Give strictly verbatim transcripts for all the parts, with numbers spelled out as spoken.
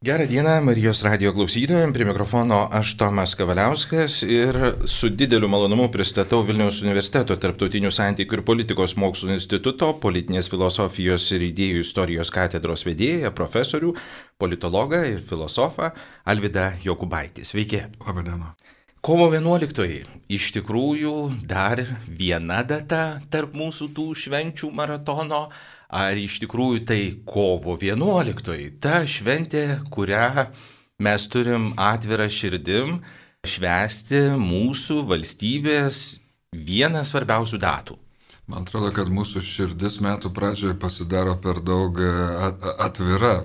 Gerą dieną Marijos radijo klausytojams, prie mikrofono aš Tomas Kavaliauskas ir su dideliu malonumu pristatau Vilniaus universiteto tarptautinių santykių ir politikos mokslų instituto politinės filosofijos ir idėjų istorijos katedros vedėją, profesorių, politologą ir filosofą Alvydą Jokubaitį. Sveiki. Labą dieną. Kovo vienuoliktoji iš tikrųjų dar viena data tarp mūsų tų švenčių maratono. Ar iš tikrųjų tai kovo vienuoliktoji, ta šventė, kurią mes turim atvirą širdim švęsti mūsų valstybės vieną svarbiausių datų? Man atrodo, kad mūsų širdis metų pradžioje pasidaro per daug atvira.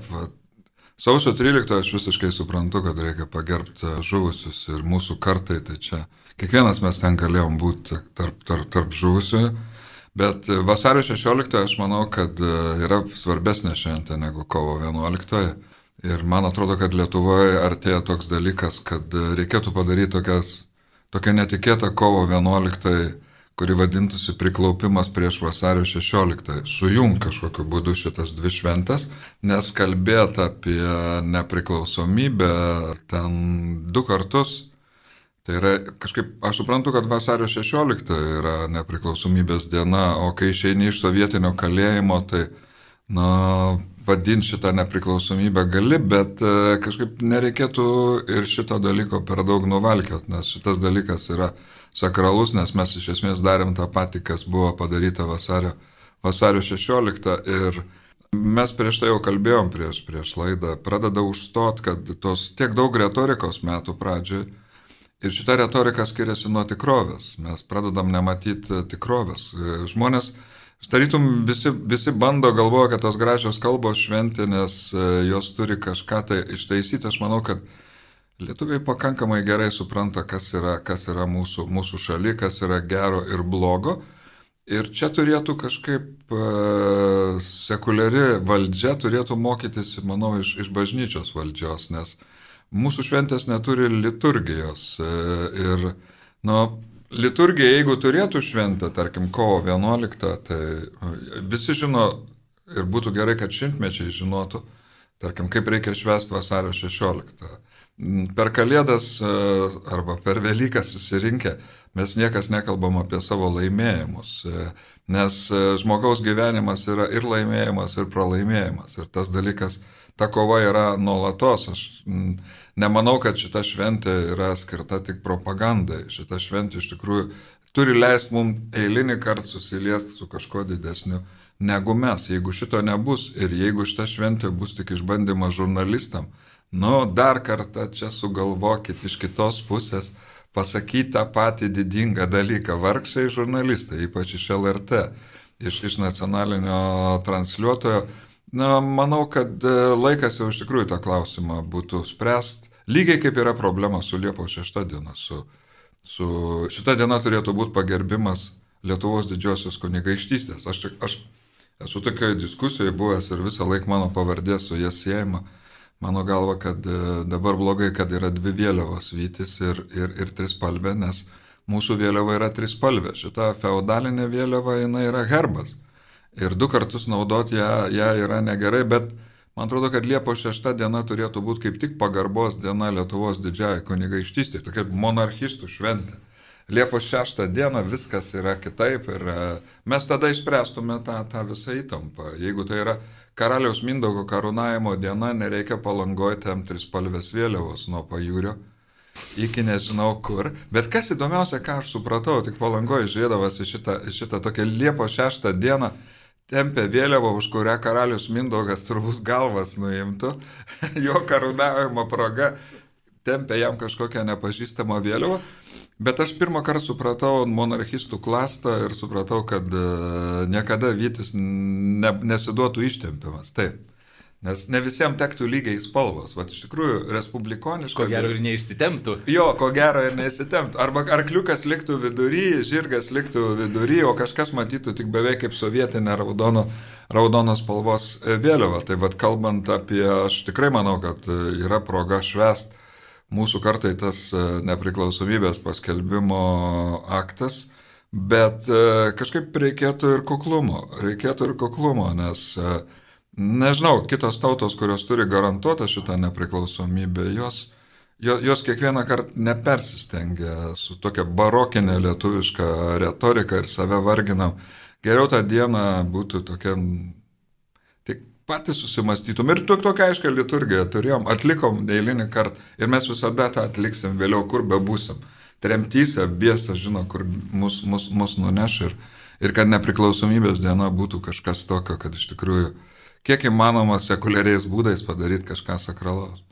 Sausio tryliktoji aš visiškai suprantu, kad reikia pagerbti žuvusius ir mūsų kartai, tai čia kiekvienas mes ten galėjom būti tarp, tarp, tarp žuvusiųjų. Bet vasario šešioliktoji aš manau, kad yra svarbesnė šventė negu kovo vienuoliktoji. Ir man atrodo, kad Lietuvoje artėja toks dalykas, kad reikėtų padaryti tokias, tokią netikėtą kovo vienuoliktoji, kuri vadintųsi priklaupimas prieš vasario šešioliktąją. Sujung kažkokiu būdu šitas dvi šventės, nes kalbėti apie nepriklausomybę ten du kartus. Tai yra kažkaip, aš suprantu, kad vasario šešiolikta yra nepriklausomybės diena, o kai išeini iš sovietinio kalėjimo, tai, na, vadinti šitą nepriklausomybę gali, bet kažkaip nereikėtų ir šito dalyko per daug nuvalkiot, nes šitas dalykas yra sakralus, nes mes iš esmės darėm tą patį, kas buvo padaryta vasario, vasario šešioliktą ir mes prieš tai jau kalbėjom prieš, prieš laidą, pradeda užstot, kad tos tiek daug retorikos metų pradžioj. Ir šita retorika skiriasi nuo tikrovės. Mes pradedam nematyti tikrovės. Žmonės, tarytum, visi, visi bando galvoja, kad tos gražios kalbos šventinės, jos turi kažką tai ištaisyti. Aš manau, kad lietuviai pakankamai gerai supranta, kas yra, kas yra mūsų, mūsų šaly, kas yra gero ir blogo. Ir čia turėtų kažkaip uh, sekuliari valdžia turėtų mokytis, manau, iš, iš bažnyčios valdžios, nes mūsų šventės neturi liturgijos ir, nu, liturgija, jeigu turėtų šventę, tarkim, kovo vienuoliktą, tai visi žino ir būtų gerai, kad šimtmečiai žinotų, tarkim, kaip reikia švęsti vasario šešioliktą. Per Kalėdas arba per Velykas susirinkę, mes niekas nekalbam apie savo laimėjimus, nes žmogaus gyvenimas yra ir laimėjimas, ir pralaimėjimas. Ir tas dalykas, ta kova yra nuolatos. Aš nemanau, kad šita šventė yra skirta tik propagandai. Šita šventė iš tikrųjų turi leisti mums eilinį kartą susiliesti su kažkuo didesniu negu mes. Jeigu šito nebus ir jeigu šita šventė bus tik išbandymas žurnalistam, nu dar kartą čia sugalvokit iš kitos pusės pasakyti tą patį didingą dalyką. Vargšai žurnalistai, ypač iš L R T, iš, iš nacionalinio transliuotojo. Na, manau, kad laikas jau iš tikrųjų tą klausimą būtų spręst. Lygiai kaip yra problema su Liepos šešta diena. Su, su, šita diena turėtų būti pagerbimas Lietuvos didžiosios kunigaikštystės. Aš, aš esu tokioje diskusijoje buvęs ir visą laiką mano pavardė su jas siejama. Mano galva, kad dabar blogai, kad yra dvi vėliavos Vytis ir, ir, ir trispalvė, nes mūsų vėliava yra trispalvė. Šita feudalinė vėliava, jinai yra herbas. Ir du kartus naudoti ją, ją yra negerai, bet man atrodo, kad Liepos šešta diena turėtų būti kaip tik pagarbos diena Lietuvos didžiajai kunigaikštystei, tokia monarchistų šventė. Liepos šeštą dieną viskas yra kitaip ir mes tada išspręstume tą, tą visą įtampą. Jeigu tai yra karaliaus Mindaugo karūnavimo diena, nereikia Palangoje tem trispalvės vėliavos nuo pajūrio iki nežinau kur. Bet kas įdomiausia, ką aš supratau, tik Palangoje žiūrėdavas į šitą, šitą tokią Liepos šeštą dieną, tempė vėliavą, už kurią karalius Mindaugas turbūt galvas nuimtų, jo karūnavimo proga tempė jam kažkokią nepažįstamą vėliavą, bet aš pirmą kartą supratau monarchistų klastą ir supratau, kad niekada Vytis ne, nesiduotų ištempiamas. Taip. Nes ne visiems tektų lygiai spalvos. Vat iš tikrųjų, respublikoniško... Ko gero ir neišsitemptų. Jo, ko gero ir neišsitemptų. Arba arkliukas liktų vidury, žirgas liktų vidury, o kažkas matytų tik beveik kaip sovietinė raudono, raudonos spalvos vėliava. Tai vat kalbant apie... Aš tikrai manau, kad yra proga švęst mūsų kartai tas nepriklausomybės paskelbimo aktas, bet kažkaip reikėtų ir kuklumo. Reikėtų ir kuklumo, nes... nežinau, kitos tautos, kurios turi garantuotą šitą nepriklausomybę, jos, jos, jos kiekvieną kartą nepersistengia su tokia barokinė lietuviška retorika ir save varginam. Geriau tą dieną būtų tokia, tik patys susimastytum. Ir tokia aiškia liturgija turėjom, atlikom eilinį kartą ir mes visada tą atliksim vėliau, kur bebūsim. Tremtyse, biesa žino, kur mus, mus, mus nuneš ir, ir kad nepriklausomybės diena būtų kažkas tokio, kad iš tikrųjų kiek įmanoma sekuliariais būdais padaryti kažką sakralaus.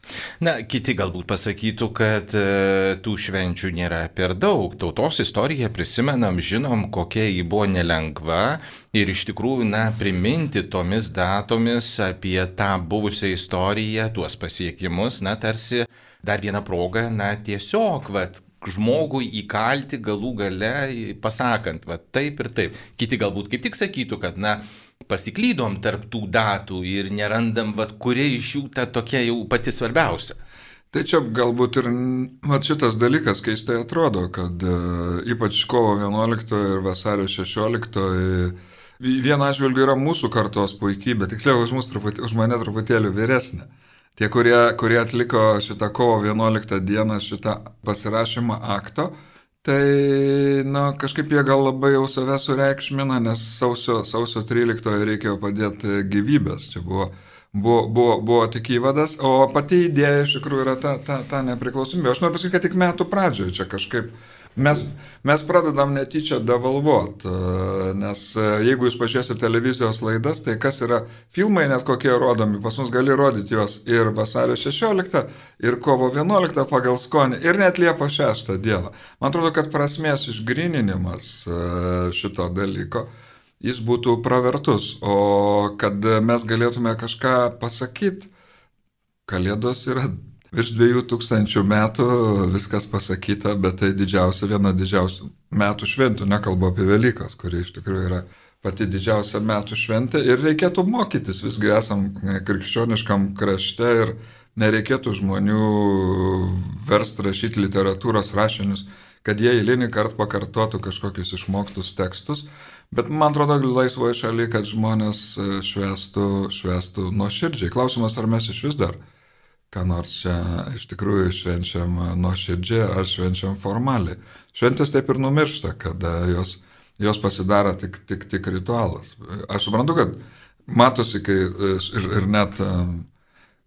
Na, kiti galbūt pasakytų, kad e, tų švenčių nėra per daug. Tautos istoriją prisimenam, žinom, kokia ji buvo nelengva ir iš tikrųjų, na, priminti tomis datomis apie tą buvusią istoriją, tuos pasiekimus, na, tarsi dar viena proga, na, tiesiog, vat, žmogui įkalti galų gale, pasakant, va taip ir taip. Kiti galbūt kaip tik sakytų, kad, na, pasiklydom tarp tų datų ir nerandam, va, kuri iš jų ta tokia jau pati svarbiausia. Tai čia galbūt ir va, šitas dalykas keistai atrodo, kad uh, ypač kovo vienuoliktoji ir vasario šešioliktoji viena atžvilgiu yra mūsų kartos puikybė, tiksliau už, truputį, už mane truputėlį vyresnė. Tie, kurie, kurie atliko šitą kovo vienuoliktą dieną šitą pasirašymą akto, tai, na, kažkaip jie gal labai jau save sureikšmina, nes sausio, sausio tryliktoje reikėjo padėti gyvybės. Čia buvo, buvo, buvo, buvo tik įvadas, o pati idėja iš tikrųjų yra ta, ta, ta nepriklausomybė. Aš noriu pasakyti, kad tik metų pradžioje čia kažkaip mes, mes pradedam netyčia devalvuot, nes jeigu jūs pažiūrėsite televizijos laidas, tai kas yra filmai net kokie rodomi, pas mus gali rodyti juos ir vasario šešioliktą, ir kovo vienuoliktą pagal skonį, ir net Liepos šeštą dieną. Man atrodo, kad prasmės išgryninimas šito dalyko, jis būtų pravertus, o kad mes galėtume kažką pasakyti, Kalėdos yra virš dviejų tūkstančių metų, viskas pasakyta, bet tai didžiausia, viena didžiausių metų šventų, nekalbu apie Velykas, kuri iš tikrųjų yra pati didžiausia metų šventė ir reikėtų mokytis, visgi esam krikščioniškam krašte ir nereikėtų žmonių versti rašyti literatūros rašinius, kad jie eilinį kartą pakartotų kažkokius išmoktus tekstus, bet man atrodo laisvoje šalyje, kad žmonės švęstų, švęstų nuoširdžiai. Klausimas, ar mes iš vis dar ką nors čia iš tikrųjų švenčiam nuoširdžiai ar švenčiam formaliai. Šventės taip ir numiršta, kada jos, jos pasidaro tik, tik, tik ritualas. Aš suprantu, kad matosi, kai ir, ir net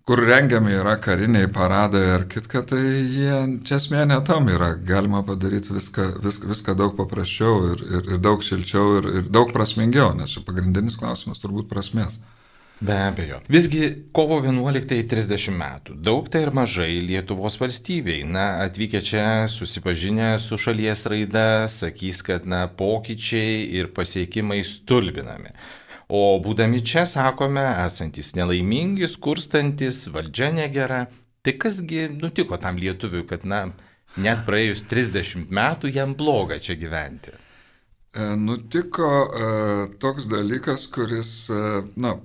kur rengiami yra kariniai paradai ar kitka, tai jie čia esmė ne tam yra. Galima padaryti viską, viską, viską daug paprasčiau ir, ir, ir daug šilčiau ir, ir daug prasmingiau, nes čia pagrindinis klausimas turbūt prasmės. Be abejo. Visgi kovo vienuoliktai trisdešimt metų. Daug tai ir mažai Lietuvos valstybei. Na, atvykę čia, susipažinę su šalies raida, sakys, kad, na, pokyčiai ir pasiekimai stulbinami. O būdami čia, sakome, esantis nelaimingi, skurstantis, valdžia negera. Tai kasgi nutiko tam lietuviui, kad, na, net praėjus trisdešimt metų jam bloga čia gyventi? E, nutiko e, toks dalykas, kuris, e, na,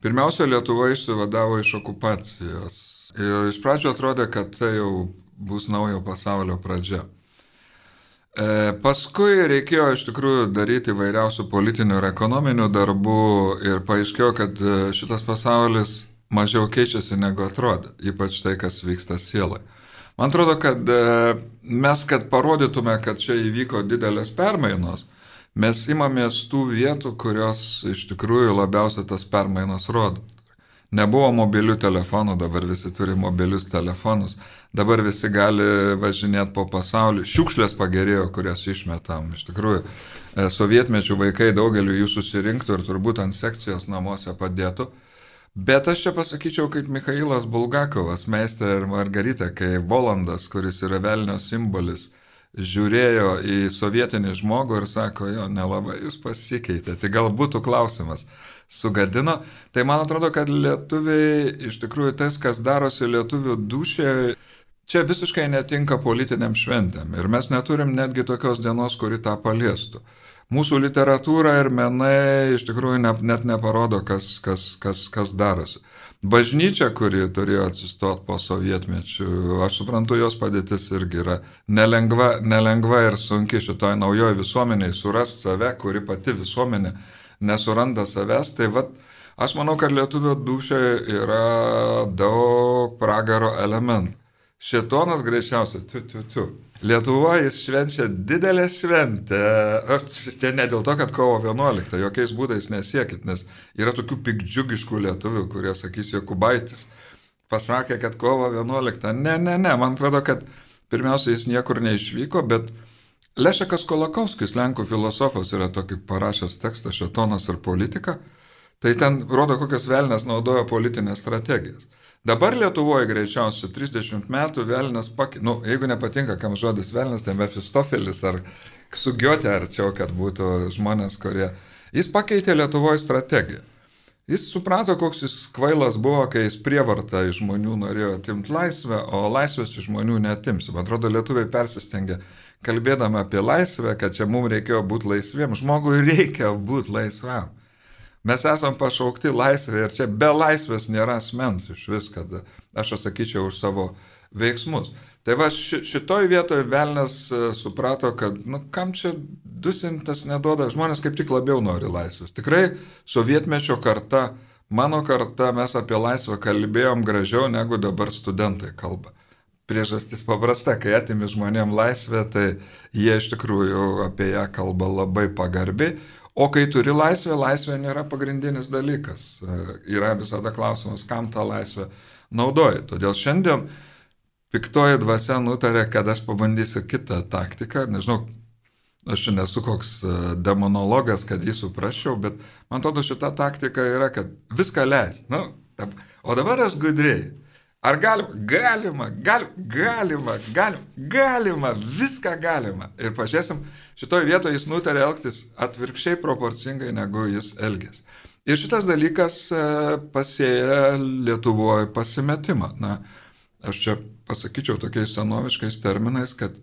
pirmiausia, Lietuva išsivadavo iš okupacijos ir iš pradžio atrodė, kad tai jau bus naujo pasaulio pradžia. E, paskui reikėjo iš tikrųjų daryti įvairiausių politinių ir ekonominių darbų ir paaiškėjo, kad šitas pasaulis mažiau keičiasi negu atrodė, ypač tai, kas vyksta sielai. Man atrodo, kad mes, kad parodytume, kad čia įvyko didelės permainos, mes imamės tų vietų, kurios iš tikrųjų labiausiai tas permainas rodo. Nebuvo mobilių telefonų, dabar visi turi mobilius telefonus, dabar visi gali važinėti po pasaulį. Šiukšlės pagerėjo, kurias išmetam. Iš tikrųjų, sovietmečių vaikai daugeliu jų susirinktų ir turbūt ant sekcijos namuose padėtų. Bet aš čia pasakyčiau kaip Michailas Bulgakovas, Meistrė ir Margarita, kai Volandas, kuris yra velnio simbolis, žiūrėjo į sovietinį žmogų ir sako, jo, nelabai jūs pasikeitė. Tai gal būtų klausimas, sugadino. Tai man atrodo, kad lietuviai, iš tikrųjų tas, kas darosi lietuvių dūšė, čia visiškai netinka politiniam šventėm. Ir mes neturim netgi tokios dienos, kuri tą paliestų. Mūsų literatūra ir menai iš tikrųjų ne, net neparodo, kas, kas, kas, kas darosi. Bažnyčia, kuri turėjo atsistoti po sovietmečių, aš suprantu, jos padėtis irgi yra nelengva, nelengva ir sunki šitoj naujoje visuomeniai surasti save, kuri pati visuomenė nesuranda savęs. Tai vat, Aš manau, kad lietuvio dūšioje yra daug pragaro elementų. Šėtonas greičiausiai, tu, tu, tu. Lietuvoje jis švenčia didelę šventę. Čia ne dėl to, kad kovo vienuoliktą, jokiais būdais nesiekit, nes yra tokių pikdžiugiškų lietuvių, kurie sakys, Jokubaitis pasakė, kad kovo vienuoliktą. Ne, ne, ne, man atrodo, kad pirmiausia jis niekur neišvyko, bet Lešekas Kolakovskis, lenkų filosofas, yra tokį parašęs tekstą Šėtonas ir politika. Tai ten rodo, kokias velnes naudoja politinės strategijas. Dabar Lietuvoje greičiausiai trisdešimt metų velnes pakeitė, nu, jeigu nepatinka, kam žodis velnes, tai Mefistofelis ar Sugiotė arčiau, kad būtų žmonės, kurie... Jis pakeitė Lietuvoje strategiją. Jis suprato, koks jis kvailas buvo, kai jis prievartą iš žmonių norėjo atimti laisvę, o laisvės iš žmonių neatimsi. Man atrodo, lietuviai persistengė, kalbėdami apie laisvę, kad čia mums reikėjo būti laisviem. Žmogui reikia būti laisvam. Mes esam pašaukti laisvė ir čia be laisvės nėra asmens iš vis, kad aš atsakyčiau už savo veiksmus. Tai va ši, šitoj vietoje velnes suprato, kad, nu, kam čia dusintas neduoda, žmonės kaip tik labiau nori laisvės. Tikrai sovietmečio karta, mano karta, mes apie laisvę kalbėjom gražiau negu dabar studentai kalba. Priežastis paprasta, kai atimi žmonėm laisvę, tai jie iš tikrųjų apie ją kalba labai pagarbiai. O kai turi laisvę, laisvė nėra pagrindinis dalykas. Yra visada klausimas, kam tą laisvę naudoji. Todėl šiandien piktoji dvasia nutarė, kad aš pabandysiu kitą taktiką. Nežinau, aš čia nesu koks demonologas, kad jį suprasčiau, bet man atrodo šita taktika yra, kad viską leis. Nu, o dabar aš gudriai. Ar galima? Galima, gal, galima, galima, galima, viską galima. Ir pažiūrėsim, šitoje vietoje jis nutarė elgtis atvirkščiai proporcingai, negu jis elgės. Ir šitas dalykas pasėja Lietuvoje pasimetimą. Na, aš čia pasakyčiau tokiais senoviškais terminais, kad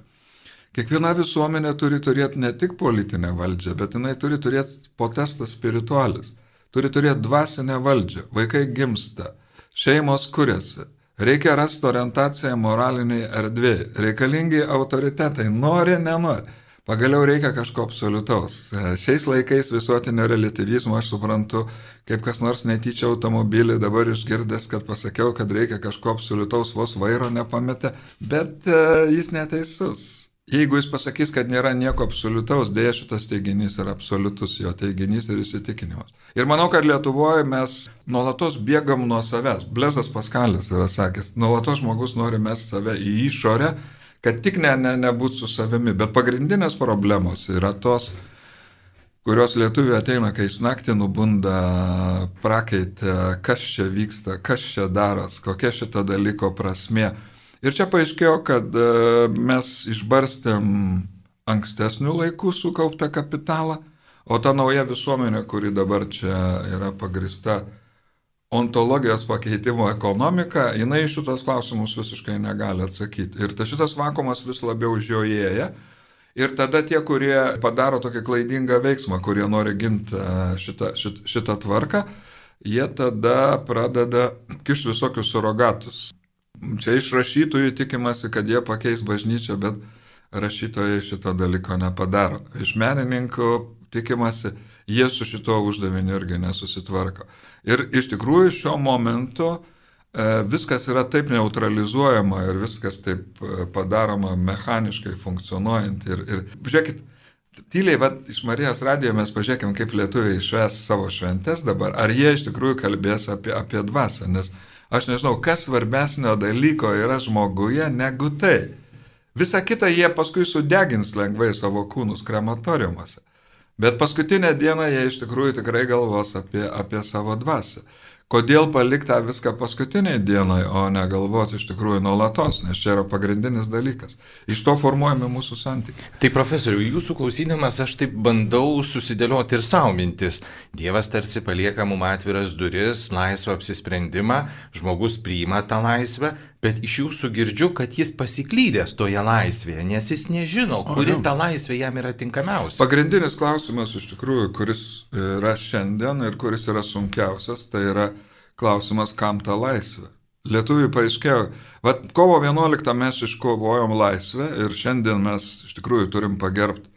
kiekviena visuomenė turi turėti ne tik politinę valdžią, bet jinai turi turėti potestas spiritualis. Turi turėti dvasinę valdžią. Vaikai gimsta, šeimos kuriasi. Reikia rasti orientaciją moraliniai erdvėje. Reikalingi autoritetai, nori, nenori. Pagaliau reikia kažko absoliutaus. Šiais laikais visuotinio relatyvizmo aš suprantu, kaip kas nors netyčia automobilį dabar išgirdęs, kad pasakiau, kad reikia kažko absoliutaus, vos vairo nepametė, bet uh, jis neteisus. Jeigu jis pasakys, kad nėra nieko absoliutaus, dėja šitas teiginys yra absoliutus, jo teiginys ir įsitikinimas. Ir manau, kad Lietuvoje mes nuolatos bėgam nuo savęs. Blezas Paskalis yra sakęs, nuolatos žmogus nori mesti save į išorę, kad tik ne, ne, nebūt su savimi. Bet pagrindinės problemos yra tos, kurios lietuviai ateina, kai jis naktį nubunda prakaitę, kas čia vyksta, kas čia daras, kokia šito dalyko prasmė. Ir čia paaiškėjo, kad mes išbarstėm ankstesnių laikų sukauptą kapitalą, o ta nauja visuomenė, kuri dabar čia yra pagrįsta ontologijos pakeitimo ekonomika, jinai šitos klausimus visiškai negali atsakyti. Ir ta šitas vakuumas vis labiau žiojėja. Ir tada tie, kurie padaro tokį klaidingą veiksmą, kurie nori ginti šitą, šitą, šitą tvarką, jie tada pradeda kišti visokius surogatus. Čia iš rašytojų tikimasi, kad jie pakeis bažnyčią, bet rašytojai šito dalyko nepadaro. Iš menininkų tikimasi, jie su šito uždaviniu irgi nesusitvarko. Ir iš tikrųjų šiuo momentu e, viskas yra taip neutralizuojama ir viskas taip padaroma mechaniškai funkcionuojant. Ir, ir žiūrėkit, tyliai, va, iš Marijos radijo mes pažiūrėkim, kaip lietuviai švęs savo šventes dabar. Ar jie iš tikrųjų kalbės apie, apie dvasią, nes aš nežinau, kas svarbesnio dalyko yra žmoguje negu tai. Visą kitą jie paskui sudegins lengvai savo kūnus krematoriumuose. Bet paskutinę dieną jie iš tikrųjų tikrai galvos apie, apie savo dvasią. Kodėl palikti tą viską paskutiniai dienai, o negalvoti iš tikrųjų nuolatos, nes čia yra pagrindinis dalykas. Iš to formuojame mūsų santykiai. Tai profesoriu, jūsų klausydamas aš taip bandau susidėlioti ir savo mintis. Dievas tarsi palieka mums atviras duris, laisvą apsisprendimą, žmogus priima tą laisvę, bet iš jūsų girdžiu, kad jis pasiklydęs toje laisvėje, nes jis nežino, kuri ta laisvė jam yra tinkamiausia. Pagrindinis klausimas iš tikrųjų, kuris yra šiandien ir kuris yra sunkiausias, tai yra klausimas, kam ta laisvė. Lietuviai paaiškėjo, va, kovo vienuoliktą mes iškovojom laisvę ir šiandien mes iš tikrųjų turim pagerbti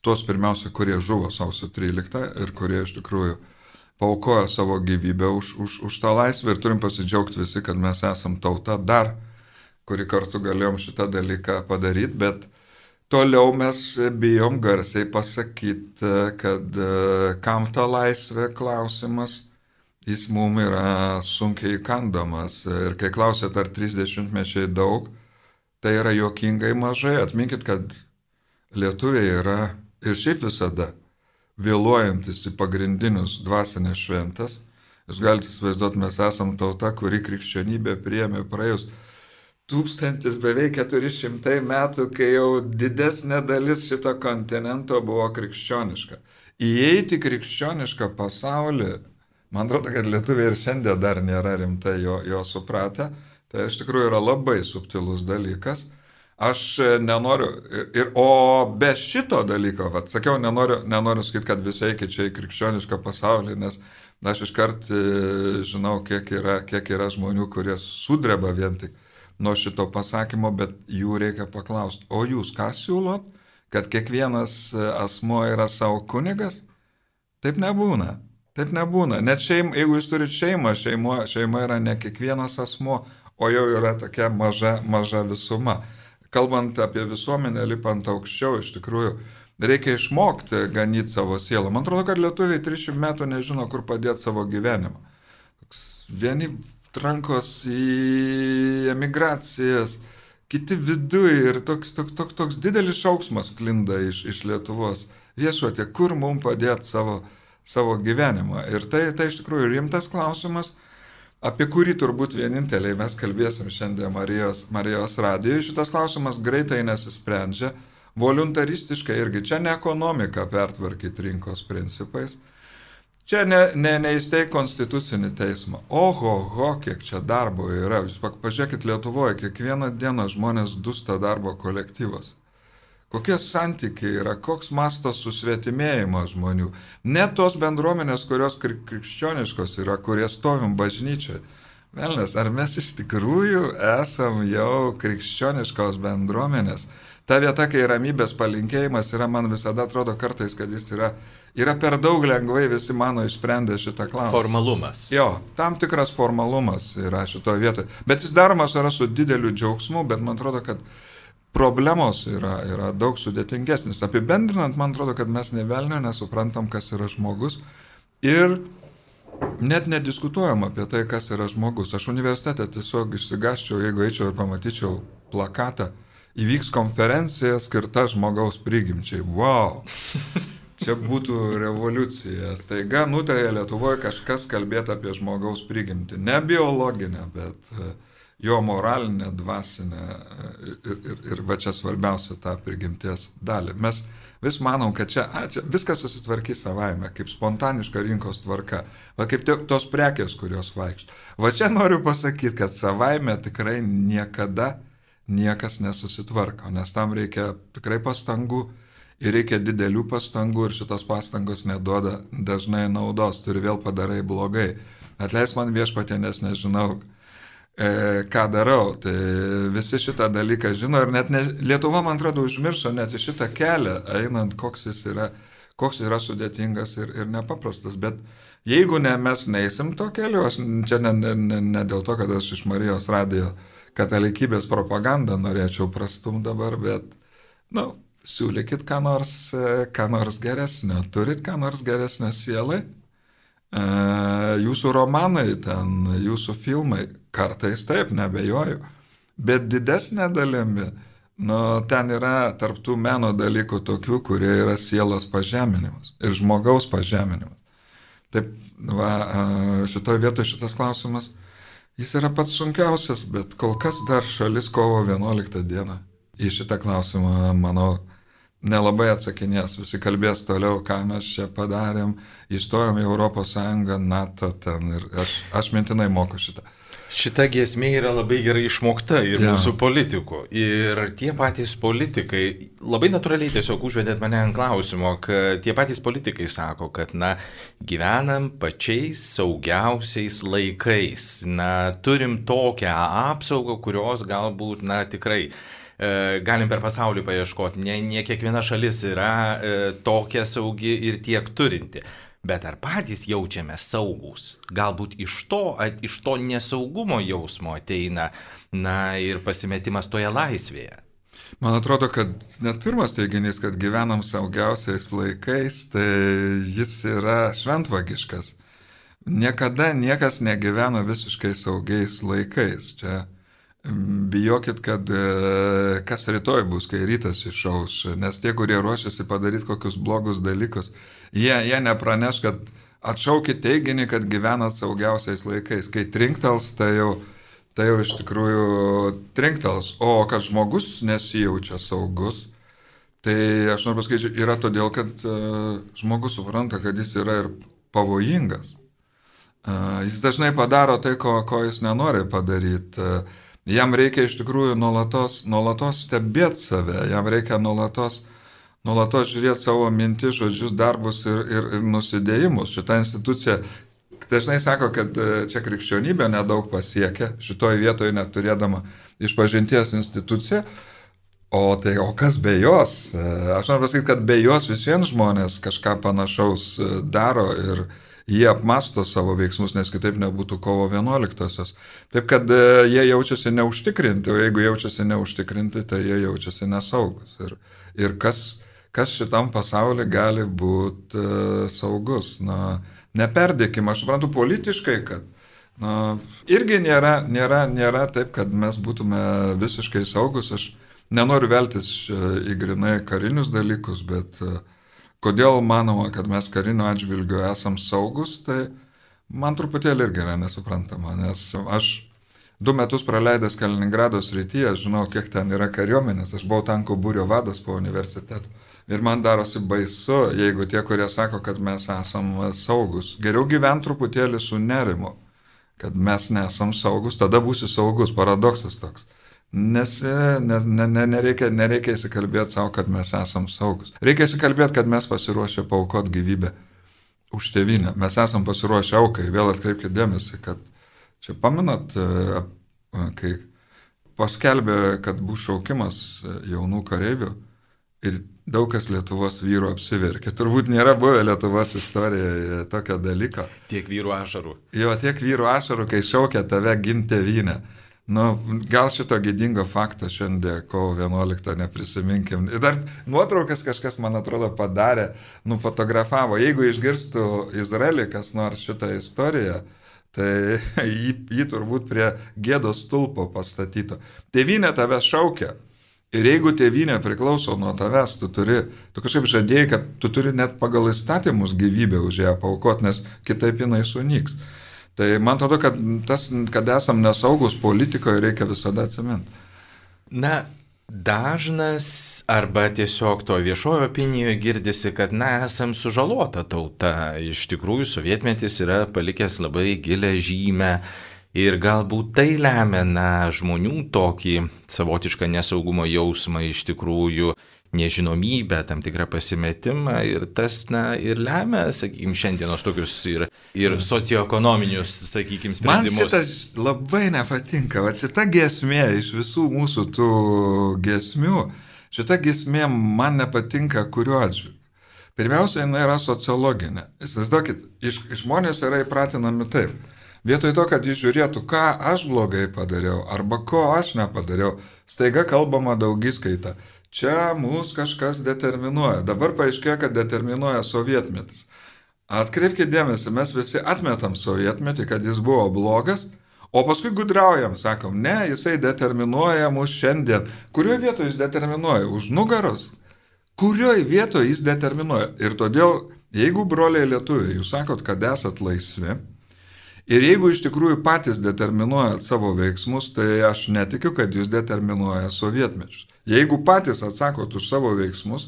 tuos pirmiausia, kurie žuvo sausio tryliktą ir kurie iš tikrųjų paaukojo savo gyvybę už, už, už tą laisvę ir turim pasidžiaugti visi, kad mes esam tauta dar, kuri kartu galėjom šitą dalyką padaryti, bet toliau mes bijom garsiai pasakyti, kad kam ta laisvė klausimas, jis mums yra sunkiai įkandamas. Ir kai klausėt, ar trisdešimtmečiai daug, tai yra juokingai mažai. Atminkit, kad lietuviai yra ir šiaip visada vėluojantis į pagrindinius dvasinės šventes. Jūs galite įsivaizduoti, mes esam tauta, kuri krikščionybė priėmė praėjus tūkstantis beveik keturi šimtai metų, kai jau didesnė dalis šito kontinento buvo krikščioniška. Įeiti krikščionišką pasaulį, man atrodo, kad lietuviai ir šiandien dar nėra rimtai jo, jo supratę, tai iš tikrųjų yra labai subtilus dalykas. Aš nenoriu, ir, o be šito dalyko, vat, sakiau, nenoriu, nenoriu sakyti, kad visi eikit čia į krikščionišką pasaulį, nes aš iškart žinau, kiek yra, kiek yra žmonių, kurie sudreba vien tik nuo šito pasakymo, bet jų reikia paklausti, o jūs ką siūlot, kad kiekvienas asmuo yra savo kunigas? Taip nebūna, taip nebūna. Net šeim, jeigu jūs turite šeimą, šeimo, šeima yra ne kiekvienas asmuo, o jau yra tokia maža, maža visuma. Kalbant apie visuomenę, lipant aukščiau, iš tikrųjų, reikia išmokti ganyti savo sielą. Man atrodo, kad lietuviai trisdešimt metų nežino, kur padėti savo gyvenimą. Vieni trankos į emigracijas, kiti viduje ir toks, toks, toks, toks didelis šauksmas klinda iš, iš Lietuvos. Viešpatie, kur mums padėti savo, savo gyvenimą. Ir tai, tai iš tikrųjų rimtas klausimas, apie kurį turbūt vieninteliai mes kalbėsim šiandien Marijos, Marijos radijoje. Šitas klausimas greitai nesisprendžia, voluntaristiškai irgi. Čia ne ekonomika pertvarkyti rinkos principais. Čia ne, ne, neįsteig konstitucinį teismą. Oho, ho, kiek čia darbo yra. Jūs pažiūrėkit Lietuvoje, kiekvieną dieną žmonės dusta darbo kolektyvas. Kokie santykiai yra, koks mastas susvetimėjimas žmonių. Net tos bendruomenės, kurios krikščioniškos yra, kurie stovim bažnyčiai. Velnes, ar mes iš tikrųjų esam jau krikščioniškos bendruomenės? Ta vieta, kai ramybės palinkėjimas yra, man visada atrodo kartais, kad jis yra, yra per daug lengvai visi mano išsprendę šitą klausimą. Formalumas. Jo, tam tikras formalumas yra šitoje vietoje. Bet jis daromas yra su dideliu džiaugsmu, bet man atrodo, kad problemos yra, yra daug sudėtingesnis. Apibendrinant, man atrodo, kad mes ne velnio nesuprantam, kas yra žmogus ir net nediskutuojam apie tai, kas yra žmogus. Aš universitete tiesiog išsigasčiau, jeigu eičiau ir pamatyčiau plakatą, įvyks konferencija skirta žmogaus prigimčiai. Wow! Čia būtų revoliucija. Staiga nutarė Lietuvoje kažkas kalbėti apie žmogaus prigimtį. Ne biologinę, bet jo moralinę, dvasinę ir, ir, ir va čia svarbiausia tą prigimties dalį. Mes vis manom, kad čia, a, čia viskas susitvarkys savaime, kaip spontaniška rinkos tvarka, va kaip tos prekės, kurios vaikšto. Va čia noriu pasakyti, kad savaime tikrai niekada niekas nesusitvarko, nes tam reikia tikrai pastangų ir reikia didelių pastangų ir šitos pastangos neduoda dažnai naudos, turi vėl padarai blogai. Atleis man Viešpatie, nes nežinau, ką darau, tai visi šitą dalyką žino ir net ne, Lietuva, man atrodo, užmiršo net į šitą kelią, einant, koks jis yra, koks yra sudėtingas ir, ir nepaprastas, bet jeigu ne, mes neįsim to keliu, aš čia ne, ne, ne, ne dėl to, kad aš iš Marijos radijo katalikybės propagandą norėčiau prastum dabar, bet, na, nu, siūlykit ką nors, ką nors geresnio, turit ką nors geresnio sielai. Jūsų romanai, ten, jūsų filmai, kartais taip, nebejoju, bet didesnė dalimi, nu, ten yra tarptų meno dalykų tokių, kurie yra sielos pažeminimas ir žmogaus pažeminimas. Taip, va, šitoje vietoje šitas klausimas, jis yra pats sunkiausias, bet kol kas dar šalis kovo vienuoliktą dieną į šitą klausimą, manau, nelabai atsakinės, visi kalbės toliau, ką mes čia padarėm, įstojom į Europos Sąjungą, NATO ten ir aš, aš mintinai moku šitą. Šita giesmė yra labai gerai išmokta ir ja. Mūsų politikų. Ir tie patys politikai, labai natūraliai tiesiog užvedėt mane ant klausimo, kad tie patys politikai sako, kad, na, gyvenam pačiais saugiausiais laikais, na, turim tokią apsaugą, kurios galbūt, na, tikrai galim per pasaulį paieškoti, ne, ne kiekviena šalis yra e, tokia saugi ir tiek turinti. Bet ar patys jaučiame saugus? Galbūt iš to, iš to nesaugumo jausmo ateina, na, ir pasimetimas toje laisvėje. Man atrodo, kad net pirmas teiginys, kad gyvenam saugiausiais laikais, tai jis yra šventvagiškas. Niekada niekas negyvena visiškai saugiais laikais. Čia bijokit, kad kas rytoj bus, kai rytas išauš, nes tie, kurie ruošiasi padaryti kokius blogus dalykus, jie, jie nepraneš, kad atšaukit teiginį, kad gyvenat saugiausiais laikais. Kai trinktels, tai jau tai jau iš tikrųjų trinktels. O kad žmogus nesijaučia saugus, tai aš noriu pasakyti, yra todėl, kad uh, žmogus supranta, kad jis yra ir pavojingas. Uh, jis dažnai padaro tai, ko, ko jis nenori padaryti. Uh, jam reikia iš tikrųjų nuolatos, nuolatos stebėti save, jam reikia nuolatos, nuolatos žiūrėti savo mintis, žodžius, darbus ir, ir, ir nusidėjimus. Šita institucija dažnai sako, kad čia krikščionybė nedaug pasiekia, šitoje vietoje neturėdama išpažinties instituciją, o tai o kas be jos? Aš noriu pasakyti, kad be jos vis vien žmonės kažką panašaus daro ir jie apmasto savo veiksmus, nes kitaip nebūtų kovo vienuoliktosios. Taip, kad jie jaučiasi neužtikrinti, o jeigu jaučiasi neužtikrinti, tai jie jaučiasi nesaugus. Ir, ir kas, kas šitam pasaulyje gali būti uh, saugus? Na, neperdėkim, aš suprantu politiškai, kad na, irgi nėra, nėra, nėra taip, kad mes būtume visiškai saugus. Aš nenoriu veltis į grinai karinius dalykus, bet kodėl manoma, kad mes kariniu atžvilgiu esam saugus, tai man truputėlį irgi yra nesuprantama, nes aš du metus praleidęs Kaliningrado srityje, žinau, kiek ten yra kariuomenės, aš buvau tankų būrio vadas po universiteto. Ir man darosi baisu, jeigu tie, kurie sako, kad mes esam saugus. Geriau gyventi truputėlį su nerimu, kad mes nesam saugus, tada būsi saugus, paradoksas toks. Nes ne, ne, ne, nereikia, nereikia įsikalbėti savo, kad mes esam saugus. Reikia įsikalbėti, kad mes pasiruošę paaukoti gyvybę už tėvynę. Mes esam pasiruošę aukai. Vėl atkreipkite dėmesį, kad čia pamenat, kai paskelbė, kad bus šaukimas jaunų kareivių ir daug kas Lietuvos vyrų apsiverkė. Turbūt nėra buvę Lietuvos istorijoje tokio dalyko. Tiek vyrų ašarų. Jo, tiek vyrų ašarų, kai šaukia tave ginti tėvynę. Nu, gal šito gėdingo fakto šiandien kovo vienuoliktą neprisiminkim. Ir dar nuotraukas kažkas, man atrodo, padarė, nufotografavo. Jeigu išgirstų Izraelį kas nors šitą istoriją, tai jį, jį turbūt prie gėdos stulpo pastatyto. Tėvynė tave šaukia. Ir jeigu tėvynė priklauso nuo tavęs, tu turi, tu kažkaip žadėjai, kad tu turi net pagal įstatymus gyvybę už ją paaukoti, nes kitaip jinai sunyks. Tai man atrodo, kad tas, kad esam nesaugus politikoje, reikia visada atsiminti. Na, dažnas arba tiesiog to viešojo opinijoje girdisi, kad na, esam sužalota tauta. Iš tikrųjų, sovietmetis yra palikęs labai gilę žymę. Ir galbūt tai lemia na, žmonių tokį savotišką nesaugumo jausmą, iš tikrųjų nežinomybę, tam tikrą pasimetimą ir tas na, ir lemia, sakykime, šiandienos tokius ir, ir socioekonominius, sakykime, sprendimus. Man šitas labai nepatinka, va šita giesmė iš visų mūsų tų giesmių, šita giesmė man nepatinka kuriuo atžvilgiu. Pirmiausia, jinai yra sociologinė. Įsivaizduokit, iš, žmonės yra įpratinami taip. Vietoj to, kad jis žiūrėtų, ką aš blogai padariau, arba ko aš nepadariau, staiga kalbama daugiskaita. Čia mūsų kažkas determinuoja. Dabar paaiškėjo, kad determinuoja sovietmetis. Atkreipkite dėmesį, mes visi atmetam sovietmetį, kad jis buvo blogas, o paskui gudraujam, sakom, ne, jisai determinuoja mus šiandien. Kurioje vietoje jis determinuoja? Už nugaros? Kurioje vietoje jis determinuoja? Ir todėl, jeigu broliai lietuviai, jūs sakot, kad esat laisvi, ir jeigu iš tikrųjų patys determinuojat savo veiksmus, tai aš netikiu, kad jūs determinuoja sovietmečius. Jeigu patys atsakot už savo veiksmus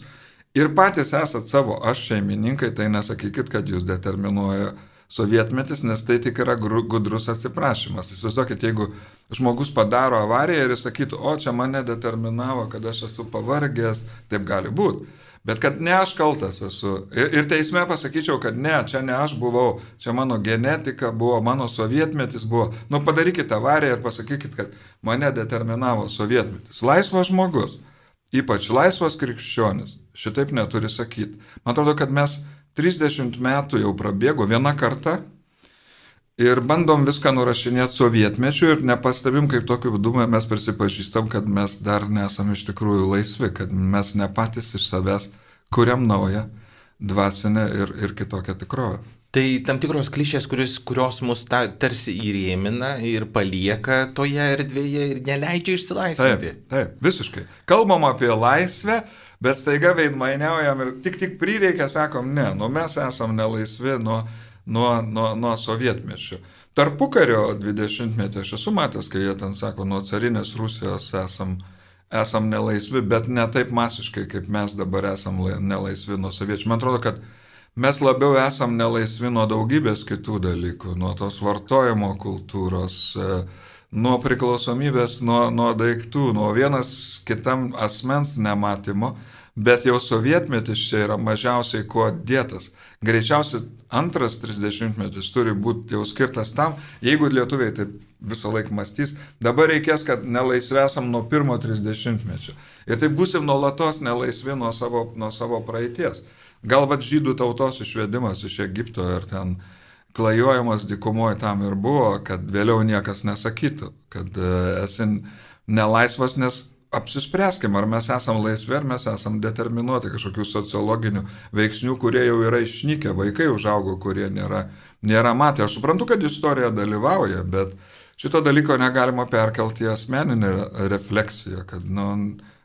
ir patys esat savo aš šeimininkai, tai nesakykit, kad jūs determinuoja sovietmetis, nes tai tik yra gudrus atsiprašymas. Įsivaizduokit, jeigu žmogus padaro avariją ir jis sakytų, o čia mane determinavo, kad aš esu pavargęs, taip gali būti. Bet kad ne aš kaltas esu. Ir, ir teisme pasakyčiau, kad ne, čia ne aš buvau, čia mano genetika buvo, mano sovietmetis buvo. Nu, padarykite avariją ir pasakykit, kad mane determinavo sovietmetis. Laisvas žmogus, ypač laisvas krikščionis, šitaip neturi sakyti. Man atrodo, kad mes trisdešimt metų jau prabėgo vieną kartą ir bandom viską nurašinėti sovietmečiu ir nepastebim, kaip tokiu būdu mes prisipažįstam, kad mes dar nesam iš tikrųjų laisvi, kad mes ne patys iš savęs kuriam naują dvasinę ir, ir kitokią tikrovę. Tai tam tikros klišės, kuris, kurios mus ta, tarsi įrėmina ir palieka toje erdvėje ir neleidžia išsilaisvinti. Taip, taip, visiškai. Kalbam apie laisvę, bet staiga veidmainiaujam ir tik tik prireikia, sakom, ne, nu mes esam nelaisvi nuo, nuo, nuo, nuo sovietmečių. Tarpukario dvidešimtmetį aš esu matęs, kai jie ten sako, nuo carinės Rusijos esam, esam nelaisvi, bet ne taip masiškai, kaip mes dabar esam nelaisvi nuo soviečių. Man atrodo, kad mes labiau esam nelaisvi nuo daugybės kitų dalykų, nuo tos vartojimo kultūros, nuo priklausomybės, nuo, nuo daiktų, nuo vienas kitam asmens nematymo, bet jau sovietmetis čia yra mažiausiai kuo dėtas. Greičiausiai antras trisdešimtmetis turi būti jau skirtas tam, jeigu lietuviai taip visą laiką mąstys, dabar reikės, kad nelaisvi esam nuo pirmo trisdešimtmečio. Ir taip būsim nuolatos nelaisvi nuo savo, nuo savo praeities. Gal vat žydų tautos išvedimas iš Egipto ir ten klajojimas dykumoje tam ir buvo, kad vėliau niekas nesakytų, kad esi nelaisvas, nes apsispręskim, ar mes esam laisvi, ar mes esam determinuoti kažkokių sociologinių veiksnių, kurie jau yra išnykę, vaikai užaugo, kurie nėra, nėra matę. Aš suprantu, kad istorija dalyvauja, bet šito dalyko negalima perkelti į asmeninę refleksiją, kad, nu,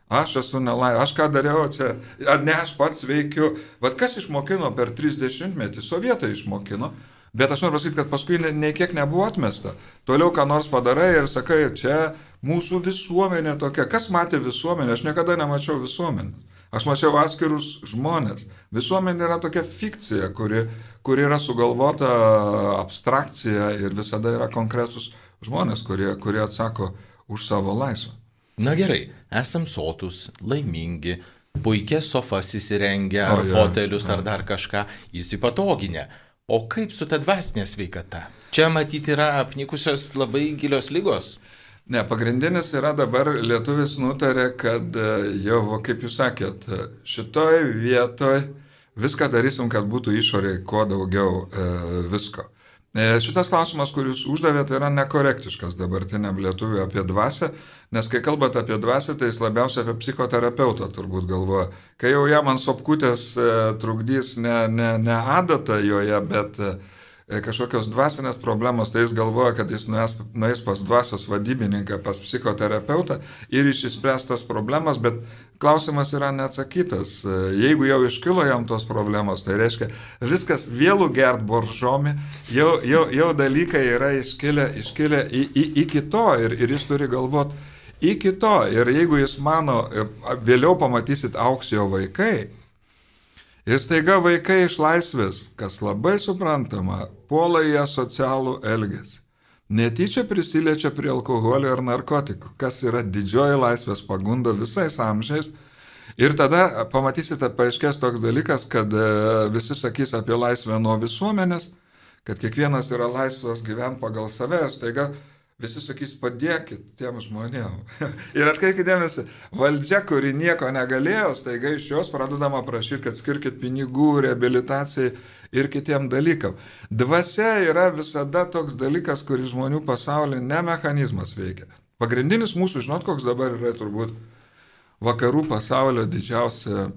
aš esu nelaisvas, aš ką dariau čia, ar ne aš pats veikiu. Vat kas išmokino per trisdešimtmetį, sovietai išmokino, bet aš noriu pasakyti, kad paskui nei kiek nebuvo atmesta. Toliau ką nors padarai ir sakai, čia mūsų visuomenė tokia. Kas matė visuomenę? Aš niekada nemačiau visuomenės. Aš mačiau atskirus žmonės. Visuomenė yra tokia fikcija, kuri, kuri yra sugalvota abstrakcija ir visada yra konkretus žmonės, kurie, kurie atsako už savo laisvę. Na gerai, esam sotus, laimingi, puikias sofas įsirengę, ar O, ja, fotelius, ja. ar dar kažką įsipatoginę. O kaip su ta dvasinė sveikata? Čia matyti yra apnikusios labai gilios lygos. Ne, pagrindinis yra dabar lietuvis nutarė, kad jau, kaip jūs sakėt, šitoj vietoj viską darysim, kad būtų išorėje kuo daugiau e, visko. Šitas klausimas, kuris uždavėte, yra nekorektiškas dabartiniam lietuviui apie dvasią, nes kai kalbate apie dvasią, tai jis labiausiai apie psichoterapeutą turbūt galvoja. Kai jau jam ant sopkutės trukdys ne, ne, ne adata joje, bet kažkokios dvasinės problemos, tai jis galvoja, kad jis nuės, nuės pas dvasios vadybininką, pas psichoterapeutą ir išspręs tas problemas, bet klausimas yra neatsakytas. Jeigu jau iškilo jam tos problemos, tai reiškia, viskas vėlų gert boržomi, jau, jau, jau dalykai yra iškilę, iškilę į, į, iki to ir, ir jis turi galvoti iki to. Ir jeigu jis mano, vėliau pamatysit auks jo vaikai, ir staiga vaikai iš laisvės, kas labai suprantama, puola į asocialų elgesį. Netyčia prisiliečia prie alkoholio ar narkotikų, kas yra didžioji laisvės pagunda visais amžiais. Ir tada pamatysite, paaiškės toks dalykas, kad visi sakys apie laisvę nuo visuomenės, kad kiekvienas yra laisvas gyventi pagal save, ir staiga visi sakys, padėkit tiem žmonėm. Ir atkreipkite dėmesį, valdžia, kuri nieko negalėjo, staiga iš jos pradedama prašyti, kad skirkit pinigų, reabilitacijai ir kitiem dalykam. Dvasia yra visada toks dalykas, kuris žmonių pasaulyje ne mechanizmas veikia. Pagrindinis mūsų, žinot, koks dabar yra turbūt vakarų pasaulio didžiausia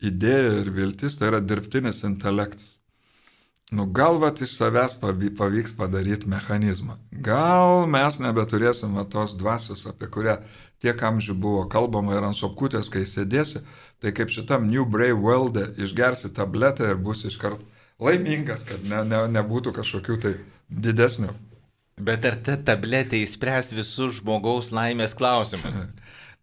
idėja ir viltis, tai yra dirbtinis intelektas. Nu, gal vat iš savęs pavyks padaryti mechanizmą. Gal mes nebeturėsime tos dvasios, apie kurią tiek amžių buvo kalbama ir ant sopkutės, kai sėdėsi, tai kaip šitam New Brave World išgersi tabletę ir bus iškart laimingas, kad ne, ne, nebūtų kažkokių tai didesnių. Bet ar ta tabletė įspręs visus žmogaus laimės klausimus?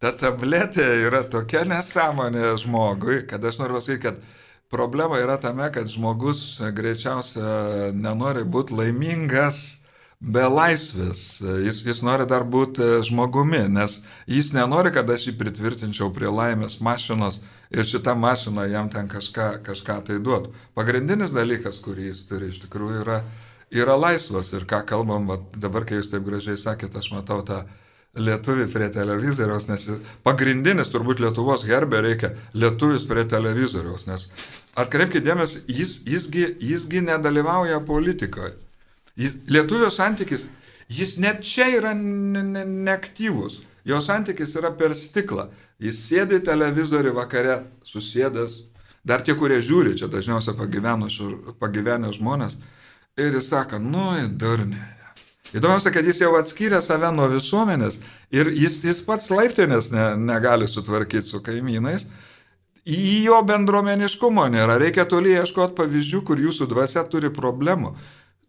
Ta tabletė yra tokia nesąmonė žmogui, kad aš noriu pasakyti, kad problema yra tame, kad žmogus greičiausia nenori būti laimingas be laisvės. Jis, jis nori dar būti žmogumi, nes jis nenori, kad aš jį pritvirtinčiau prie laimės mašinos ir šitą mašiną jam ten kažką, kažką tai duotų. Pagrindinis dalykas, kurį jis turi iš tikrųjų yra, yra laisvas. Ir ką kalbam, va, dabar kai jūs taip gražiai sakėt, aš matau tą lietuvį prie televizoriaus, nes pagrindinis turbūt Lietuvos herbe reikia lietuvis prie televizoriaus, nes atkreipkite dėmesį, jis, jisgi, jisgi nedalyvauja politikoje. Jis, lietuvio santykis, jis net čia yra neaktyvus, jo santykis yra per stiklą. Jis sėdi televizorių vakare, susėdęs, dar tie, kurie žiūri, čia dažniausiai pagyvenę žmonės, ir jis sako, nu, durnė. Įdomiausia, kad jis jau atskyrė save nuo visuomenės ir jis, jis pats laiptinės ne, negali sutvarkyti su kaimynais. Į jo bendruomeniškumo nėra. Reikia toli ieškoti pavyzdžių, kur jūsų dvasia turi problemų.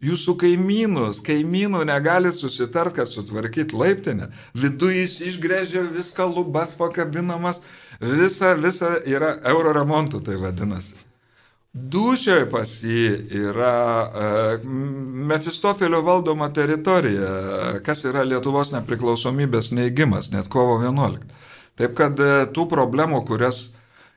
Jūsų kaimynus, kaimynų negali susitart, kad sutvarkyti laiptinę. Viduje jis išgrėžia viską, lubas pakabinamas, visa, visa yra euro remontų, tai vadinasi. Dušioje pas jį yra uh, Mefistofelio valdoma teritorija, kas yra Lietuvos nepriklausomybės neigimas, net kovo vienuoliktą. Taip kad uh, tų problemų, kurias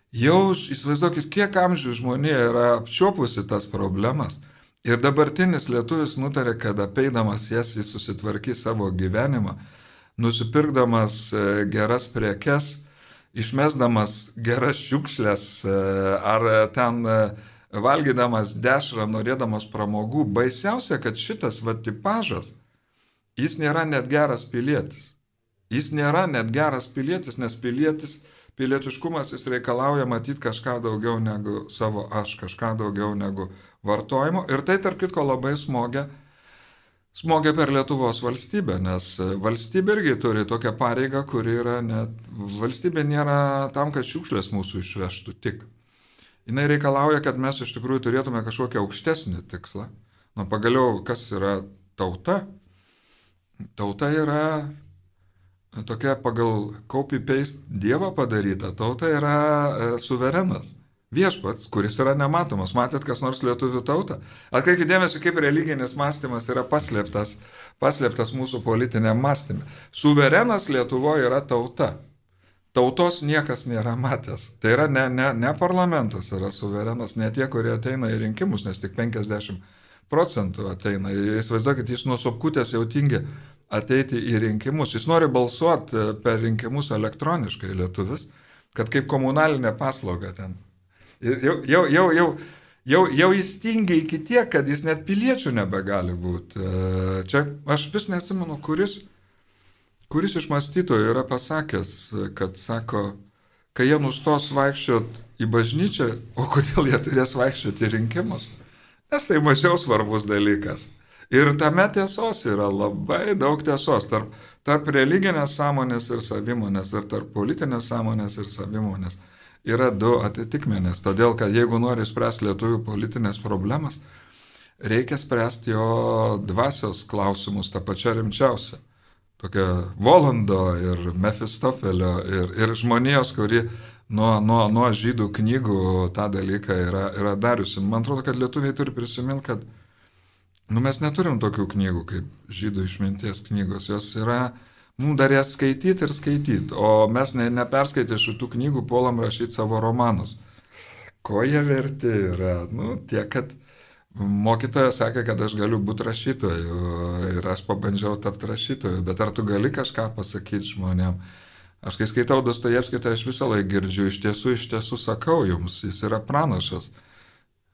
jau, įsivaizduokit, kiek amžių žmonė yra apčiopusi tas problemas. Ir dabartinis lietuvis nutarė, kad apeidamas jas jis susitvarkys savo gyvenimą, nusipirkdamas uh, geras prekes, išmesdamas geras šiukšlės ar ten valgydamas dešrą, norėdamas pramogų. Baisiausia, kad šitas va tipažas, jis nėra net geras pilietis. Jis nėra net geras pilietis, nes pilietis, pilietiškumas jis reikalauja matyti kažką daugiau negu savo aš, kažką daugiau negu vartojimo. Ir tai, tarp kitko, labai smogia Smogia per Lietuvos valstybę, nes valstybė irgi turi tokią pareigą, kuri yra net, valstybė nėra tam, kad šiukšlės mūsų išvežtų tik. Jis reikalauja, kad mes iš tikrųjų turėtume kažkokią aukštesnį tikslą. Nu, pagaliau, kas yra tauta? Tauta yra tokia pagal copy-paste Dievo padaryta. Tauta yra e, suverenas. Viešpats, kuris yra nematomas. Matėt kas nors lietuvių tautą? Atkreipkite dėmesį, kaip religinis mąstymas yra paslėptas, paslėptas mūsų politinėm mąstymė. Suverenas Lietuvoje yra tauta. Tautos niekas nėra matęs. Tai yra ne, ne, ne parlamentas yra suverenas, ne tie, kurie ateina į rinkimus, nes tik penkiasdešimt procentų ateina. Įsivaizduokit, jis nuo sopkutės jau tingi ateiti į rinkimus. Jis nori balsuoti per rinkimus elektroniškai lietuvis, kad kaip komunalinė paslauga ten. Jau, jau, jau, jau, jau, jau jis tingia iki tiek, kad jis net piliečių nebegali būti. Čia aš vis neatsimenu, kuris, kuris iš mąstytojų yra pasakęs, kad sako, kai jie nustos vaikščioti į bažnyčią, o kodėl jie turės vaikščioti į rinkimus? Nes tai mažiau svarbus dalykas. Ir tame tiesos yra labai daug tiesos tarp, tarp religinės sąmonės ir savimonės, ir tarp politinės sąmonės ir savimonės. Yra du atitikmenės, todėl kad jeigu nori spręsti lietuvių politinės problemas, reikia spręsti jo dvasios klausimus, tą pačią rimčiausią. Tokia Volando ir Mefistofelio ir, ir žmonijos, kuri nuo, nuo, nuo žydų knygų tą dalyką yra, yra dariusi. Man atrodo, kad lietuviai turi prisiminti, kad nu, mes neturim tokių knygų kaip žydų išminties knygos, jos yra... Mums dar jas skaityti ir skaityti, o mes ne, neperskaitę šitų knygų puolam rašyti savo romanus. Ko jie verti yra? Nu, tiek, kad mokytojas sakė, kad aš galiu būti rašytoju ir aš pabandžiau tapti rašytoju, bet ar tu gali kažką pasakyti žmonėm? Aš kai skaitau Dostojevskį, tai aš visą laiką girdžiu, iš tiesų, iš tiesų sakau jums, jis yra pranašas.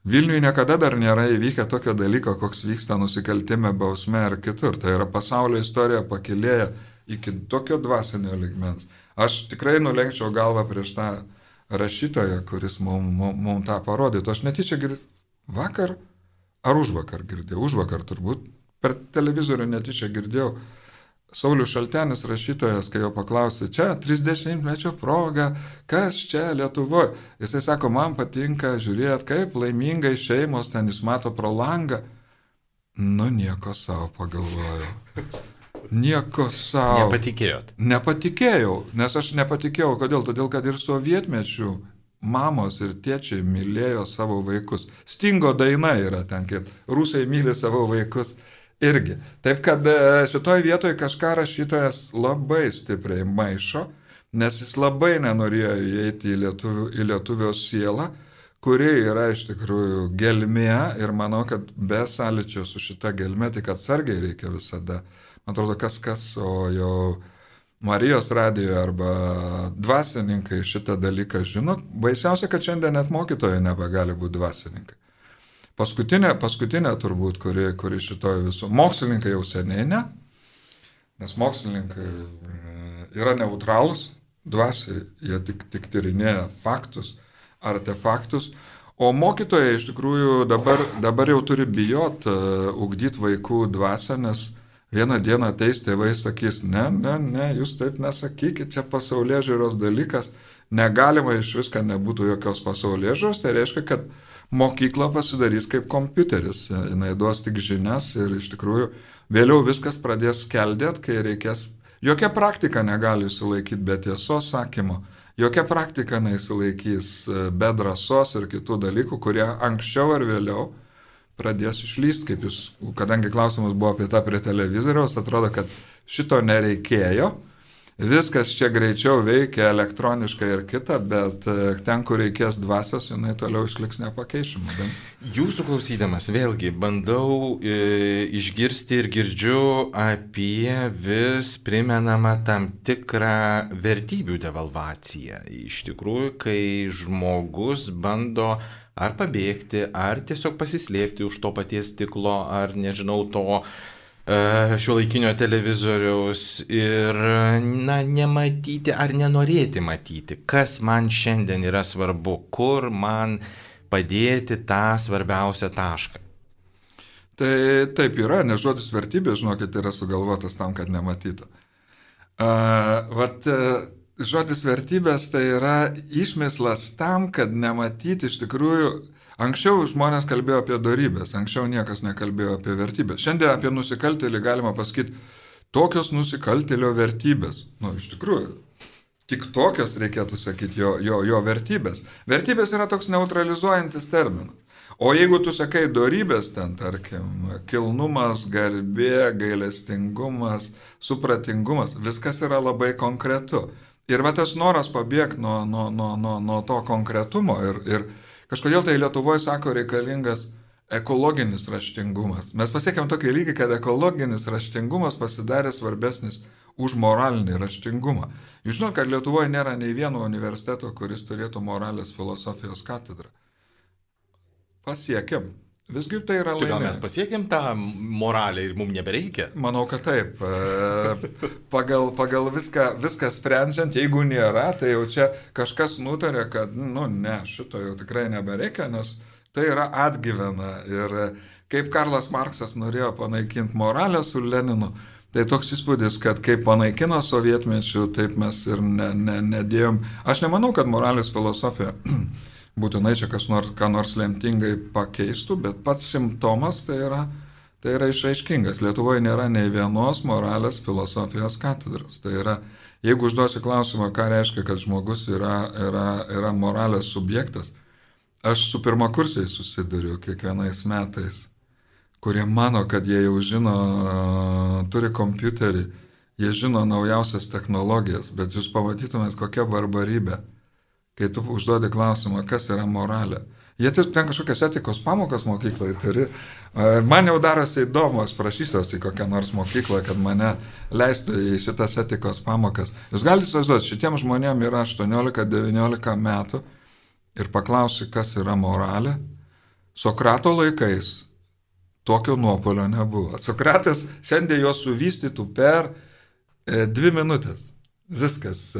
Vilniuje niekada dar nėra įvykę tokio dalyko, koks vyksta nusikaltime, bausme ar kitur. Tai yra pasaulio istorija pakilėja iki tokio dvasinio lygmens. Aš tikrai nulenkčiau galvą prieš tą rašytoją, kuris mums mum, mum tą parodytų. Aš netyčia girdėjau, vakar ar užvakar girdėjau, užvakar turbūt, per televizorių netyčia girdėjau, Saulius Šaltenis rašytojas, kai jo paklausė, čia trisdešimtmečio proga, kas čia Lietuvoje? Jisai sako, man patinka žiūrėti, kaip laimingai šeimos, ten jis mato pro langą. Nu, nieko savo pagalvojau. Nieko savo. Nepatikėjot? Nepatikėjau, nes aš nepatikėjau. Kodėl? Todėl, kad ir sovietmečių mamos ir tėčiai mylėjo savo vaikus. Stingo daina yra ten, kaip rusai myli savo vaikus irgi. Taip, kad šitoj vietoje kažką rašytojas labai stipriai maišo, nes jis labai nenorėjo įeiti į, lietuvių, į lietuvio sielą, kuri yra iš tikrųjų gelmė ir manau, kad be sąlyčio su šita gelmė, tik atsargiai reikia visada. Man atrodo, kas kas, o jau Marijos radijoje arba dvasininkai šitą dalyką žino. Baisiausia, kad šiandien net mokytojai nebegali būti dvasininkai. Paskutinė, paskutinė turbūt, kuri, kuri šitoje visų. Mokslininkai jau seniai ne, nes mokslininkai yra neutralūs, dvasiai, jie tik, tik tyrinėja faktus, artefaktus, o mokytojai iš tikrųjų dabar, dabar jau turi bijot uh, ugdyti vaikų dvasią, nes vieną dieną ateis tėvai sakys, ne, ne, ne, jūs taip nesakykit, čia pasaulėžiūros dalykas, negalima iš viską nebūtų jokios pasaulėžiūros, tai reiškia, kad mokykla pasidarys kaip kompiuteris, jinai duos tik žinias ir iš tikrųjų vėliau viskas pradės skeldėt, kai reikės, jokia praktika negali įsilaikyti be tiesos sakymo, jokia praktika neįsilaikys be drąsos ir kitų dalykų, kurie anksčiau ar vėliau pradės išlyst, kaip jūs, kadangi klausimas buvo apie tą prie televizoriaus, atrodo, kad šito nereikėjo, viskas čia greičiau veikia elektroniškai ir kita, bet ten, kur reikės dvasios, jinai toliau išliks nepakeičiama. Bet... Jūsų klausydamas vėlgi bandau e, išgirsti ir girdžiu apie vis primenamą tam tikrą vertybių devalvaciją. Iš tikrųjų, kai žmogus bando ar pabėgti, ar tiesiog pasislėpti už to paties stiklo, ar nežinau to uh, šiuolaikinio televizoriaus ir na, nematyti ar nenorėti matyti, kas man šiandien yra svarbu, kur man padėti tą svarbiausią tašką. Tai taip yra, nes žodis vertybė, žinokit, yra sugalvotas tam, kad nematytų. Uh, vat, uh, Žodis vertybės tai yra išmislas tam, kad nematyti iš tikrųjų, anksčiau žmonės kalbėjo apie dorybės, anksčiau niekas nekalbėjo apie vertybės. Šiandien apie nusikaltėlį galima pasakyti, tokios nusikaltėlio vertybės. Nu, iš tikrųjų, tik tokios reikėtų sakyti jo, jo, jo vertybės. Vertybės yra toks neutralizuojantis terminas. O jeigu tu sakai dorybės ten, tarkim, kilnumas, garbė, gailestingumas, supratingumas, viskas yra labai konkretu. Ir va tas noras pabėgti nuo, nuo, nuo, nuo, nuo to konkretumo ir, ir kažkodėl tai Lietuvoje sako reikalingas ekologinis raštingumas. Mes pasiekėm tokį lygį, kad ekologinis raštingumas pasidarė svarbesnis už moralinį raštingumą. Jūs žinot, kad Lietuvoje nėra nei vieno universiteto, kuris turėtų moralės filosofijos katedrą. Pasiekėm. Visgi tai yra laimė. Tai gal mes pasiekėm tą moralę ir mums nebereikia? Manau, kad taip. Pagal, pagal viską, viską sprendžiant, jeigu nėra, tai jau čia kažkas nutarė, kad, nu ne, šito jau tikrai nebereikia, nes tai yra atgyvena. Ir kaip Karlas Marksas norėjo panaikinti moralę su Leninu, tai toks įspūdis, kad kaip panaikino sovietmečių, taip mes ir ne, ne, nedėjom. Aš nemanau, kad moralės filosofija būtinai čia kas nors, ką nors lemtingai pakeistų, bet pats simptomas tai yra, tai yra išraiškingas. Lietuvoje nėra nei vienos moralės filosofijos katedros. Tai yra, jeigu užduosi klausimą, ką reiškia, kad žmogus yra, yra, yra moralės subjektas, aš su pirmakursiais susiduriu kiekvienais metais, kurie mano, kad jie jau žino, turi kompiuterį, jie žino naujausias technologijas, bet jūs pamatytumėt, kokia barbarybė. Kai tu užduodi klausimą, kas yra moralė. Jie ten kažkokias etikos pamokas mokyklai turi. Man jau darosi įdomu, aš prašysiuosi į kokią nors mokyklą, kad mane leistų į šitas etikos pamokas. Jūs galite įsivaizduoti, šitiems žmonėms yra aštuoniolika devyniolika metų ir paklausi, kas yra moralė. Sokrato laikais tokio nuopuolio nebuvo. Sokratas šiandien jo suvystytų per e, dvi minutės. Viskas.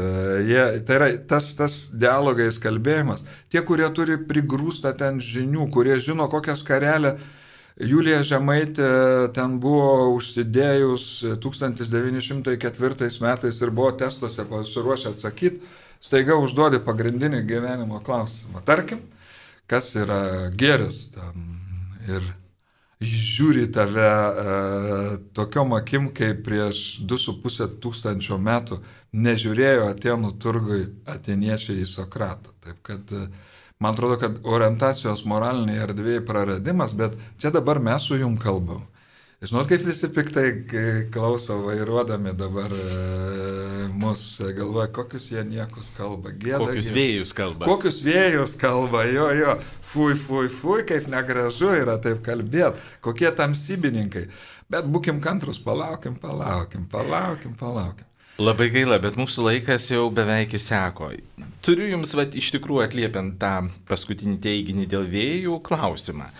Jie, tai yra tas, tas dialogais kalbėjimas. Tie, kurie turi prigrūstą ten žinių, kurie žino, kokią skarelę Julija Žemaitė ten buvo užsidėjus tūkstantis devyni šimtai ketvirtais metais ir buvo testuose pasiruošę atsakyti, staiga užduodi pagrindinį gyvenimo klausimą. Tarkim, kas yra gėris ten ir žiūri tave e, tokiom akim, kaip prieš du su pusė tūkstančio metų nežiūrėjo Atėnų turgui atėniečiai į Sokratą. Taip kad e, man atrodo, kad orientacijos moraliniai erdvėjai praradimas, bet čia dabar mes su jum kalbam. Žinot, kaip visi piktai klauso vairuodami dabar e, mus, galvoja, kokius jie niekus kalba. Gėda, kokius vėjus kalba. Kokius vėjus kalba, jo, jo. Fui, fui, fui, kaip negražu yra taip kalbėti. Kokie tamsybininkai. Bet būkim kantrus, palaukim, palaukim, palaukim, palaukim. Labai gaila, bet mūsų laikas jau beveik įseko. Turiu jums vat, iš tikrųjų atliepiant tą paskutinį teiginį dėl vėjų klausimą.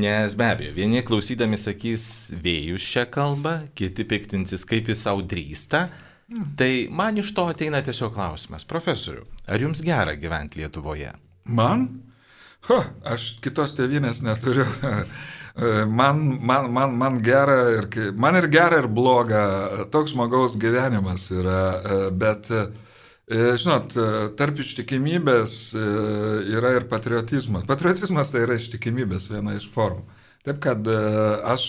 Nes be abejo, vieni klausydami sakys vėjus šią kalbą, kiti piktinsis, kaip jis savo drįsta. Mm. Tai man iš to ateina tiesiog klausimas. Profesoriu, ar jums gera gyventi Lietuvoje? Man? Ho, aš kitos tėvynės neturiu. Man, man, man, man, gera ir, man ir gera ir bloga, toks žmogaus gyvenimas yra, bet, žinot, tarp ištikimybės yra ir patriotizmas. Patriotizmas tai yra ištikimybės viena iš formų. Taip kad aš,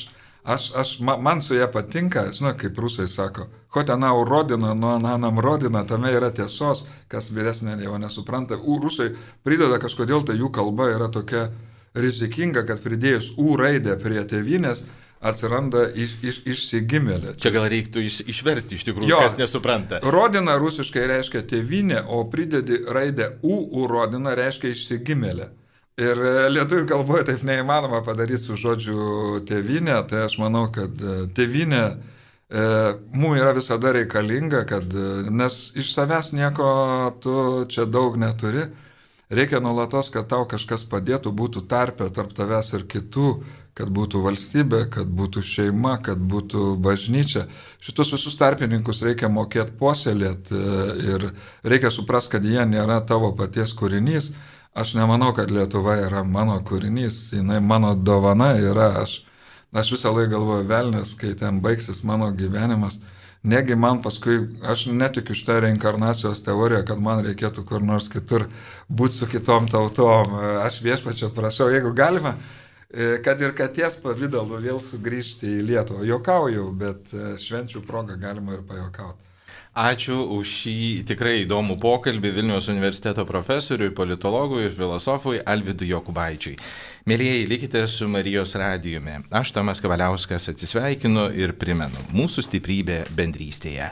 aš, aš, man su ją patinka, žinot, kaip rusai sako, ko tenau rodina, nuo nanam rodina, tame yra tiesos, kas vyresnė jau nesupranta. U, rusai prideda kažkodėl, tai jų kalba yra tokia rizikinga, kad pridėjus U raidę prie tėvynės atsiranda iš, iš, išsigimėlė. Čia gal reiktų iš, išversti iš tikrųjų, jo, kas nesupranta. Rodina rusiškai reiškia tėvynė, o pridedi raidę U, U rodina reiškia išsigimėlė. Ir lietuvių kalboje taip neįmanoma padaryti su žodžiu tėvynė, tai aš manau, kad tėvynė e, mums yra visada reikalinga, kad, nes iš savęs nieko tu čia daug neturi. Reikia nuolatos, kad tau kažkas padėtų, būtų tarpe tarp tavęs ir kitų, kad būtų valstybė, kad būtų šeima, kad būtų bažnyčia. Šitus visus tarpininkus reikia mokėti puoselėti ir reikia suprasti, kad jie nėra tavo paties kūrinys. Aš nemanau, kad Lietuva yra mano kūrinys, jinai mano dovana yra. Aš, aš visą laiką galvoju, velnės, kai ten baigsis mano gyvenimas. Negi man paskui, aš netikiu šitą reinkarnacijos teoriją, kad man reikėtų kur nors kitur būti su kitom tautom. Aš viešpačio prašau, jeigu galima, kad ir katės pavidalu vėl sugrįžti į Lietuvą. Jokauju, bet švenčių progą galima ir pajokauti. Ačiū už šį tikrai įdomų pokalbį Vilniaus universiteto profesoriui, politologui ir filosofui Alvydui Jokubaičiui. Mėlyjeji, likite su Marijos radijumi. Aš Tomas Kavaliauskas atsisveikinu ir primenu, mūsų stiprybė bendrystėje.